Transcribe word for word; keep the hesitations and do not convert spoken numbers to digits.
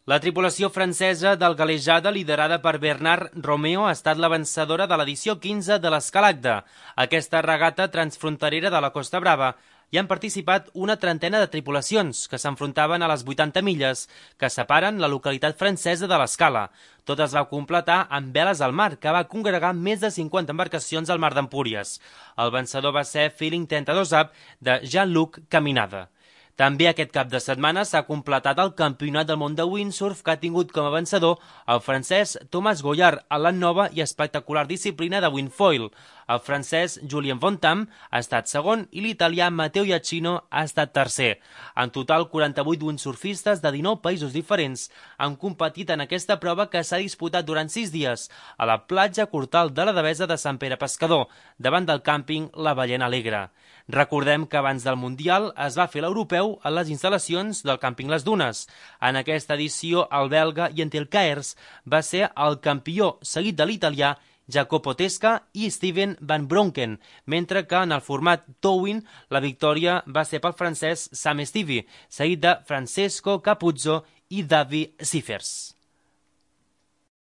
La tripulació francesa del Galejada, liderada per Bernard Romeo, ha estat la vencedora de l'edició quinze de l'Escalada. Aquesta regata transfronterera de la Costa Brava hi han participat una trentena de tripulacions que s'enfrontaven a les vuitanta milles que separen la localitat francesa de l'Escala. Tot es va completar amb veles al mar, que va congregar més de cinquanta embarcacions al mar d'Empúries. El vencedor va ser Feeling trenta-dos Up de Jean-Luc Caminada. També aquest cap de setmana s'ha completat el Campionat del món de windsurf, que ha tingut com a vencedor el francès Thomas Goyard en la nova i espectacular disciplina de windfoil. El francès Julien Fontam ha estat segon i l'italià Matteo Iacchino ha estat tercer. En total, quaranta-vuit windsurfistes de dinou països diferents han competit en aquesta prova, que s'ha disputat durant sis dies a la platja Cortal de la Devesa de Sant Pere Pescador, davant del càmping La Ballena Alegre. Recordem que abans del Mundial es va fer l'europeu a les instal·lacions del càmping Les Dunes. En aquesta edició, el belga Jentil Kaers va ser el campió, seguit de l'italià Jacopo Tesca i Steven Van Bronken, mentre que en el format Towing la victòria va ser pel francès Sam Stevie, seguit de Francesco Capuzzo i Davi Siffers.